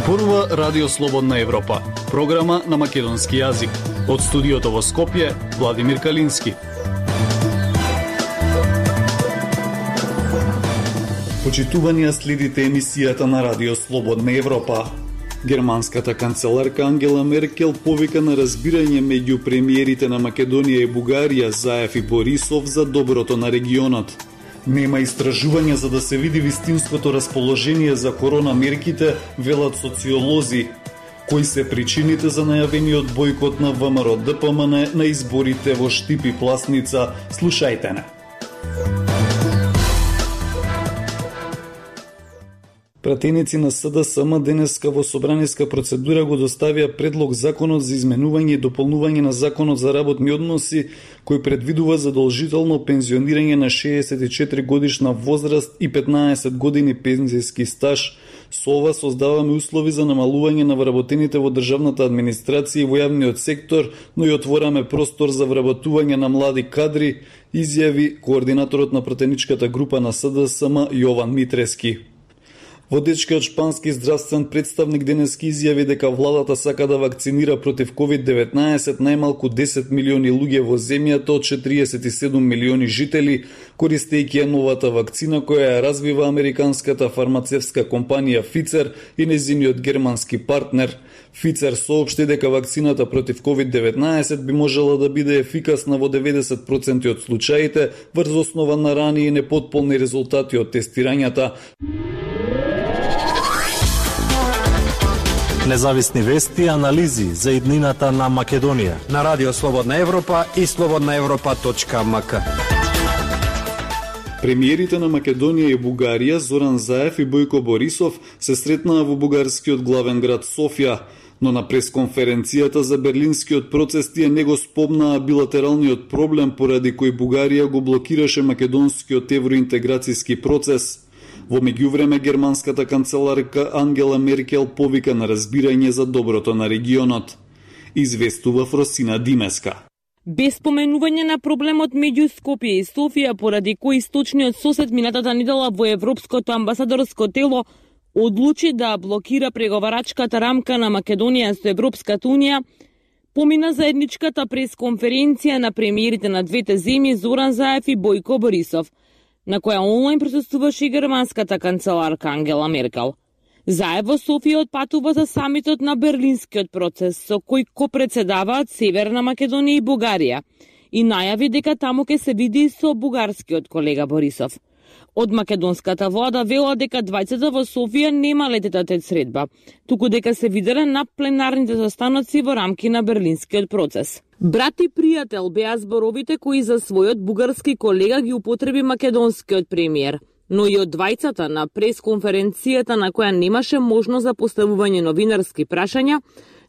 Зборува Радио Слободна Европа, програма на македонски јазик. Од студиото во Скопје, Владимир Калински. Почитувани, следите емисијата на Радио Слободна Европа. Германската канцеларка Ангела Меркел повика на разбирање меѓу премиерите на Македонија и Бугарија, Заев и Борисов, за доброто на регионот. Нема истражување за да се види вистинското расположение за коронамерките, велат социолози. Кои се причините за најавениот бојкот на ВМРО-ДПМН на изборите во Штип и Пласница? Слушајте не. Пратеници на СДСМ денеска во собраниска процедура го доставија предлог законот за изменување и дополнување на законот за работни односи, кој предвидува задолжително пензионирање на 64 годишна возраст и 15 години пензијски стаж. Со ова создаваме услови за намалување на вработените во државната администрација и во јавниот сектор, но и отвораме простор за вработување на млади кадри, изјави координаторот на пратеничката група на СДСМ Јован Митрески. Водечкиот шпански здравствен представник денески изјави дека владата сака да вакцинира против COVID-19 најмалку 10 милиони луѓе во земјата од 47 милиони жители, користејќи новата вакцина која ја развива американската фармацевтска компанија Pfizer и нејзиниот германски партнер. Pfizer соопшти дека вакцината против COVID-19 би можела да биде ефикасна во 90% од случаите врз основа на рани и непотполни резултати од тестирањата. Независни вести и анализи за иднината на Македонија на Радио Слободна Европа и slobodnaevropa.mk. Премиерите на Македонија и Бугарија Зоран Заев и Бојко Борисов се сретнаа во бугарскиот главен град Софија, но на пресконференцијата за берлинскиот процес тие не го спомнаа билатералниот проблем поради кој Бугарија го блокираше македонскиот евроинтеграцијски процес. Во меѓувреме, германската канцеларка Ангела Меркел повика на разбирање за доброто на регионот. Известува Фросина Димеска. Без споменување на проблемот меѓу Скопје и Софија, поради кој источниот сосед минатата недела во Европското амбасадорско тело одлучи да блокира преговарачката рамка на Македонија со Европската унија, помина заедничката пресконференција на премиерите на двете земји Зоран Заев и Бојко Борисов, на која онлайн присуствуваше и германската канцеларка Ангела Меркел. Заев во Софија отпатува за самитот на берлинскиот процес, со кој копредседаваат Северна Македонија и Бугарија, и најави дека таму ќе се види со бугарскиот колега Борисов. Од македонската влада вела дека двајцата во Софија нема лететата средба, туку дека се виделе на пленарните состаноци во рамки на берлинскиот процес. Брат и пријател беа зборовите кои за својот бугарски колега ги употреби македонскиот премиер, но и од двајцата на пресконференцијата на која немаше можност за поставување новинарски прашања,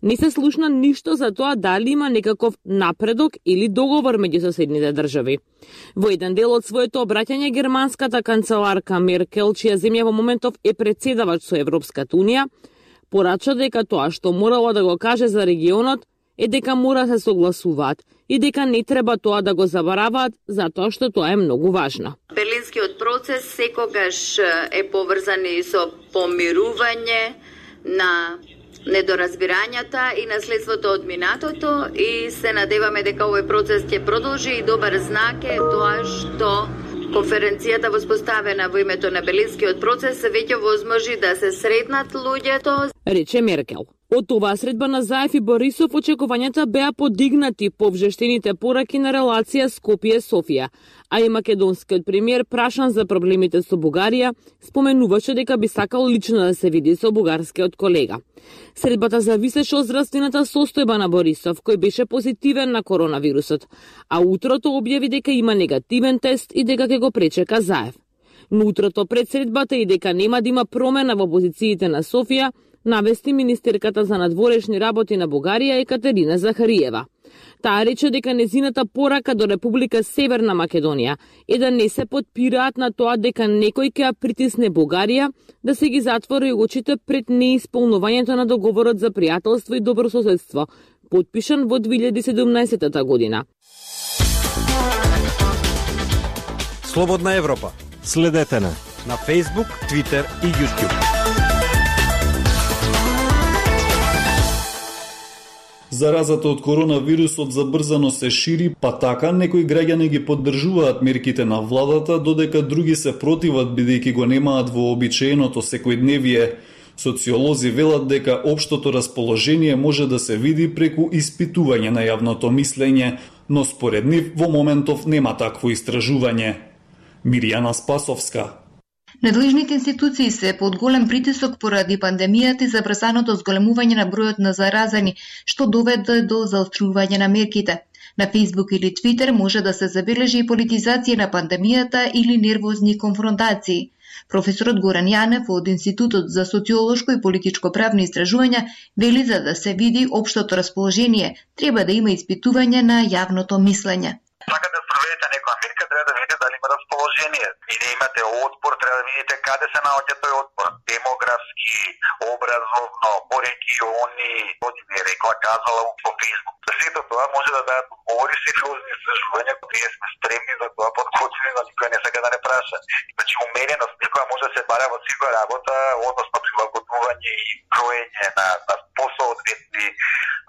не се слушна ништо за тоа дали има некаков напредок или договор меѓу соседните држави. Во еден дел од своето обраќање, германската канцеларка Меркел, чија земја во моментов е председавач со Европската унија, порача дека тоа што морала да го каже за регионот е дека мора да се согласуваат и дека не треба тоа да го забараваат, затоа што тоа е многу важно. Берлинскиот процес секогаш е поврзан и со помирување на недоразбирањата и наследството од минатото, и се надеваме дека овој процес ќе продолжи, и добар знак е тоа што конференцијата воспоставена во името на Берлинскиот процес веќе возможи да се сретнат луѓето, рече Меркел. Од оваа средба на Заев и Борисов очекувањата беа подигнати по вжештените пораки на релација Скопје-Софија, а и македонскиот премиер, прашан за проблемите со Бугарија, споменуваше дека би сакал лично да се види со бугарскиот колега. Средбата зависеше од здравствената состојба на Борисов, кој беше позитивен на коронавирусот, а утрото објави дека има негативен тест и дека ќе го пречека Заев. Но утрото пред средбата и дека нема да има промена во позициите на Софија, навести министерката за надворешни работи на Бугарија Екатерина Захариева. Таа рече дека незината порака до Република Северна Македонија е да не се потпираат на тоа дека некој ќе притисне Бугарија да се ги затвори очите пред неисполнувањето на договорот за пријателство и добрососедство, потпишан во 2017 година. Слободна Европа. Следете на Facebook, Twitter и YouTube. Заразата од коронавирусот забрзано се шири, па така некои граѓани ги поддржуваат мерките на владата, додека други се противат бидејќи го немаат вообичаеното секојдневие. Социолози велат дека општото расположение може да се види преку испитување на јавното мислење, но според нив во моментов нема такво истражување. Миријана Спасовска. Надлежните институции се под голем притисок поради пандемијата и забрзаното зголемување на бројот на заразени, што доведе до заострување на мерките. На Facebook или Twitter може да се забележи и политизација на пандемијата или нервозни конфронтации. Професорот Горан Јанев од Институтот за социолошко и политичко правни истражувања вели за да се види општото расположение, треба да има испитување на јавното мислење. Сакате да спроведете некоја мерка, треба да видите дали има расположение. И да имате отпор, треба да видите каде се наоѓа тој отпор. Демографски, образовно, по региони, оди ми рекла, казала по Facebook. За сето тоа може да дадат одговори сериозни истражувања, ние сме стремни за тоа подготвени, но никој не сака да не праша. Значи, умереност некоја може да се бара во секоја работа, односно прилагодување и кроење на посоодветни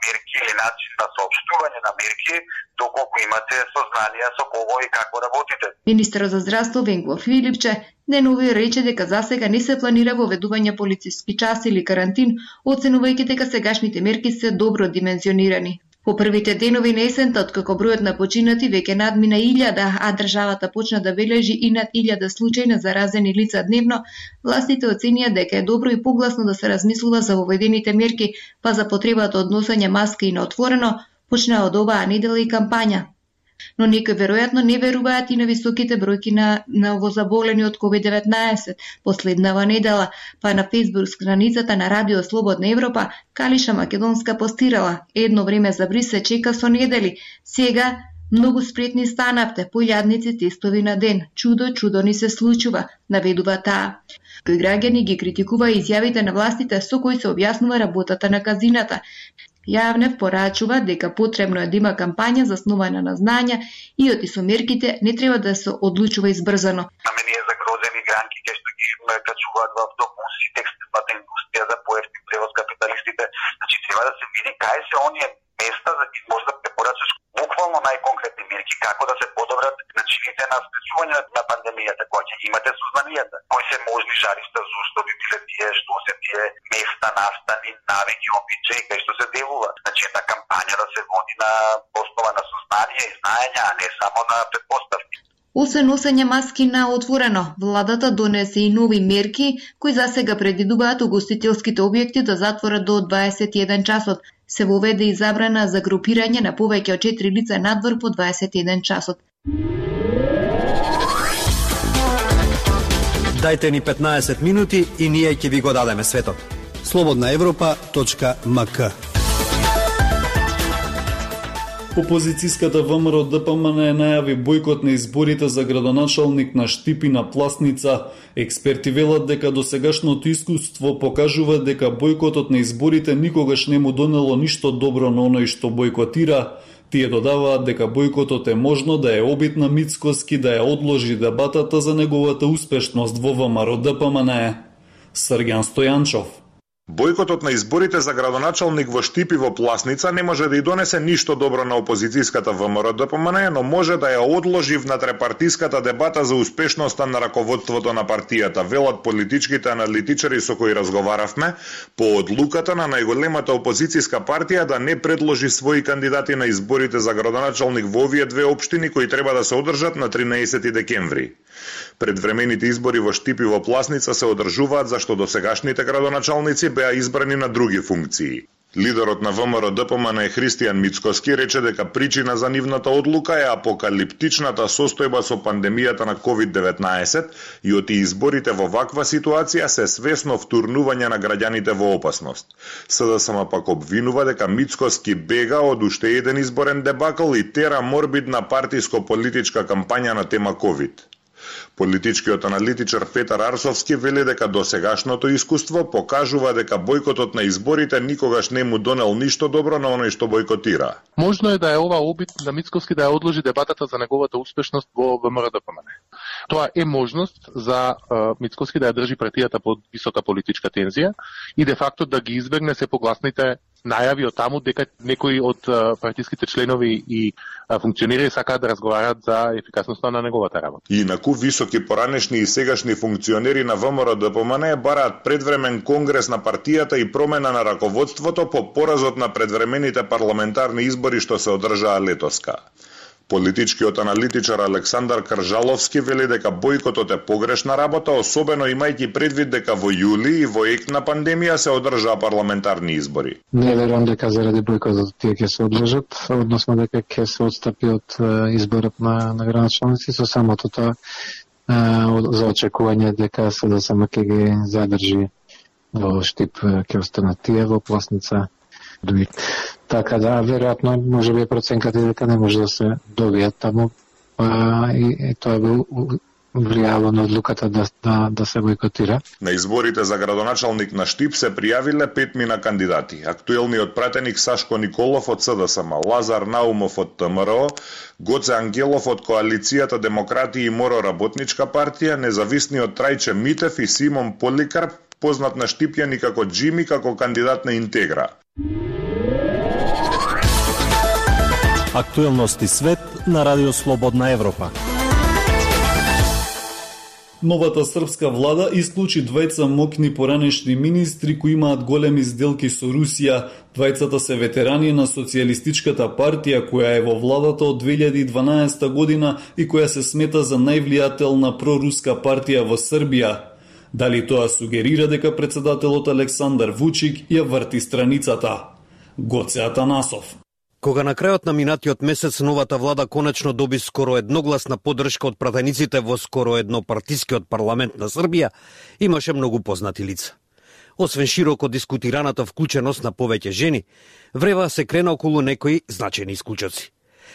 мерки или начин на соопштување на мерки, доколку имате сознание со кого и како работите. Министерот за здравство Венко Филипче денови рече дека засега не се планира воведување полициски час или карантин, оценувајќи дека сегашните мерки се добро димензионирани. По првите денови на есента, откако бројот на починати веќе надмина 1000, а државата почна да бележи и над 1000 случаи на заразени лица дневно, властите оценија дека е добро и погласно да се размислува за воведените мерки, па за потребата од носење маски и на отворено, почна од оваа недела и кампања. Но некои веројатно не веруваат и на високите бројки на новозаболени од COVID-19. Последнава недела, па на Facebook страницата на Радио Слободна Европа, Калиша Македонска постирала: едно време за бриз се чека со недели, сега многу спретни станавте, по илјадници тестови на ден. Чудо ни се случува, наведува таа. Кои граѓани ги критикува изјавите на властите со кои се објаснува работата на казината. Јавнев порачува дека потребно е да има кампања заснувана на знања и оти со мерките не треба да се одлучува избрзано. На мене е загрозени гранки кај што ги качуваат во автобуси, текстилната индустрија за поевтин превоз капиталистите. Значи треба да се види кај се оние места за да може да препорачаш буквално најконкретни мерки како да се подобрат начините на спречување на пандемијата, која ќе имате сознанията. Кои се можни жаришта, зошто би биле тие, што се тие места, настани, навики, обичаи, кај што се делува. Значи една кампања да се води на основа на сознание и знаење, а не само на предпоставки. Освен носење маски на отворено, владата донесе и нови мерки кои засега предвидуваат угостителските објекти да затворат до 21 часот. Се воведе и забрана за групирање на повеќе од 4 лица надвор по 21 часот. Дајте ни 15 минути и ние ќе ви го дадеме светот. slobodnaevropa.mk. Опозицијската ВМРО ДПМН најави бојкот на изборите за градоначалник на Штип и на Пласница. Експерти велат дека досегашното искуство покажува дека бојкотот на изборите никогаш не му донело ништо добро на оној што бојкотира. Тие додаваат дека бојкотот е можно да е обид на Мицкоски да ја одложи дебатата за неговата успешност во ВМРО ДПМН. Срѓан Стојанчов. Бојкотот на изборите за градоначалник во Штип и во Пласница не може да и донесе ништо добро на опозицијската ВМРО ДПМН, но може да ја одложи внатрепартиската дебата за успешноста на раководството на партијата, велат политичките аналитичари со кои разговаравме, по одлуката на најголемата опозицијска партија да не предложи своји кандидати на изборите за градоначалник во овие две општини кои треба да се одржат на 13 декември. Предвремените избори во Штип и во Пласница се одржуваат зашто досегашните градоначалници беа избрани на други функции. Лидерот на ВМРО ДПМН Христијан Мицкоски рече дека причина за нивната одлука е апокалиптичната состојба со пандемијата на COVID-19 и оти изборите во ваква ситуација се свесно втурнување на граѓаните во опасност. СДСМ пак обвинува дека Мицкоски бега од уште еден изборен дебакл и тера морбидна партиско-политичка кампања на тема COVID. Политичкиот аналитичар Петар Арсовски вели дека досегашното искуство покажува дека бојкотот на изборите никогаш не му донел ништо добро на оној што бојкотира. Можно е да е ова обид на Мицкоски да ја одложи дебатата за неговата успешност во ВМРО ДПМН. Тоа е можност за Мицкоски да ја држи партијата под висока политичка тензија и де факто да ги избегне се погласните најави од таму дека некои од партиските членови и функционери сакаат да разговараат за ефикасноста на неговата работа. Инаку високи поранешни и сегашни функционери на ВМРО-ДПМН бараат предвремен конгрес на партијата и промена на раководството по поразот на предвремените парламентарни избори што се одржаа летоска. Политичкиот аналитичар Александар Кржаловски вели дека бојкотот е погрешна работа, особено имајќи предвид дека во јули и во ек на пандемија се одржаа парламентарни избори. Не верувам дека заради бојкотот тие ќе се одржат, односно дека ќе се отстапи од изборот на градоначалници, со самото тоа за очекување дека СДСМ ќе ги задржи во Штип, ќе останат тие во Пласница. Така да, веројатно, може би проценката дека не може да се добијат таму и тоа би влијало на одлуката да се бојкотира. На изборите за градоначалник на Штип се пријавиле 5 кандидати. Актуелниот пратеник Сашко Николов од СДСМ, Лазар Наумов од ТМРО, Гоце Ангелов од коалицијата Демократи и Моро работничка партија, независниот Трајче Митев и Симон Поликарп, познат на Штипјани како Джими, како кандидат на Интегра. Актуелности свет на Радио Слободна Европа. Новата српска влада исклучи двајца мокни поранешни министри кои имаат големи сделки со Русија. Двајцата се ветерани на Социјалистичката партија која е во владата од 2012 година и која се смета за највлијателна проруска партија во Србија. Дали тоа сугерира дека председателот Александар Вучик ја врти страницата? Гоце Атанасов. Кога на крајот на минатиот месец новата влада конечно доби скоро едногласна поддршка од пратениците во скоро еднопартискиот парламент на Србија, имаше многу познати лица. Освен широко дискутираната вклученост на повеќе жени, врева се крена околу некои значајни исклучоци.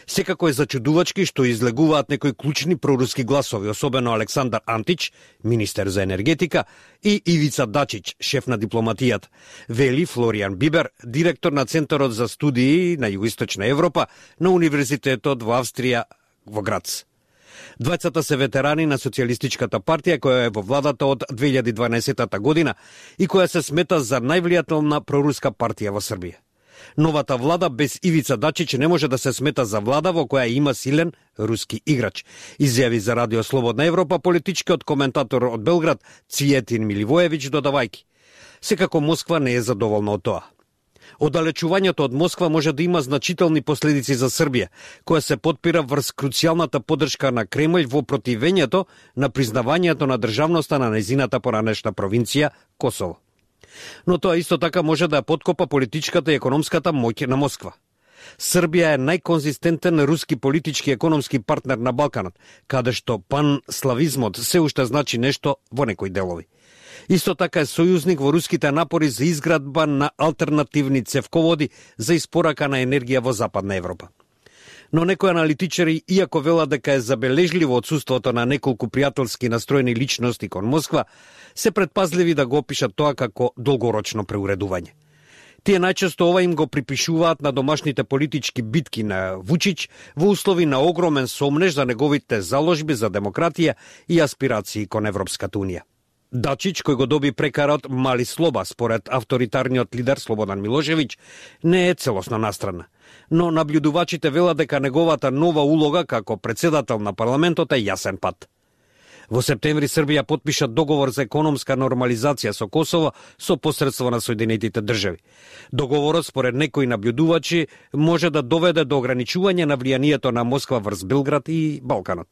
Секако е зачудувачки што излегуваат некои клучни проруски гласови, особено Александар Антич, министер за енергетика, и Ивица Дачич, шеф на дипломатијата, вели Флоријан Бибер, директор на Центарот за студии на Југоисточна Европа на Универзитетот во Австрија во Грац. Двајцата се ветерани на Социјалистичката партија која е во владата од 2012 година и која се смета за највлијателна проруска партија во Србија. Новата влада без Ивица Дачич не може да се смета за влада во која има силен руски играч, изјави за Радио Слободна Европа политичкиот коментатор од Белград Цијетин Миливоевиќ, додавајки: секако Москва не е задоволна од тоа. Оддалечувањето од Москва може да има значителни последици за Србија, која се потпира врз круцијалната поддршка на Кремљ во противењето на признавањето на државноста на нејзината поранешна провинција Косово. Но тоа исто така може да подкопа политичката и економската моќ на Москва. Србија е најконзистентен руски политички и економски партнер на Балканот, каде што панславизмот се уште значи нешто во некои делови. Исто така е сојузник во руските напори за изградба на алтернативни цевководи за испорака на енергија во Западна Европа. Но некои аналитичари, иако велат дека е забележливо отсуството на неколку пријателски настроени личности кон Москва, се предпазливи да го опишат тоа како долгорочно преуредување. Тие најчесто ова им го припишуваат на домашните политички битки на Вучич во услови на огромен сомнеж за неговите заложби за демократија и аспирации кон Европската Унија. Дачич, кој го доби прекарот мали слоба според авторитарниот лидер Слободан Милошевиќ, не е целосно настрана. Но наблюдувачите велат дека неговата нова улога како председател на парламентот е јасен пат. Во септември Србија потпиша договор за економска нормализација со Косово со посредство на Соединетите држави. Договорот, според некои наблюдувачи, може да доведе до ограничување на влијанието на Москва врз Белград и Балканот.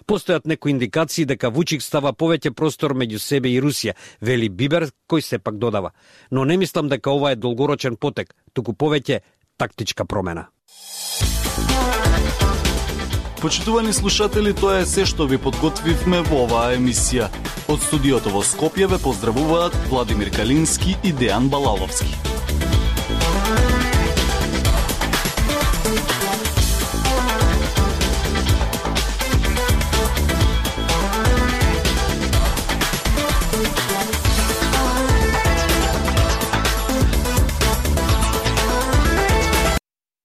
Постојат некои индикации дека Вучик става повеќе простор меѓу себе и Русија, вели Бибер, кој сепак додава. Но не мислам дека ова е долгорочен потек, туку повеќе тактичка промена. Почитувани слушатели, тоа е се што ви подготвивме во оваа емисија. Од студиото во Скопје ве поздравуваат Владимир Калински и Дејан Балаловски.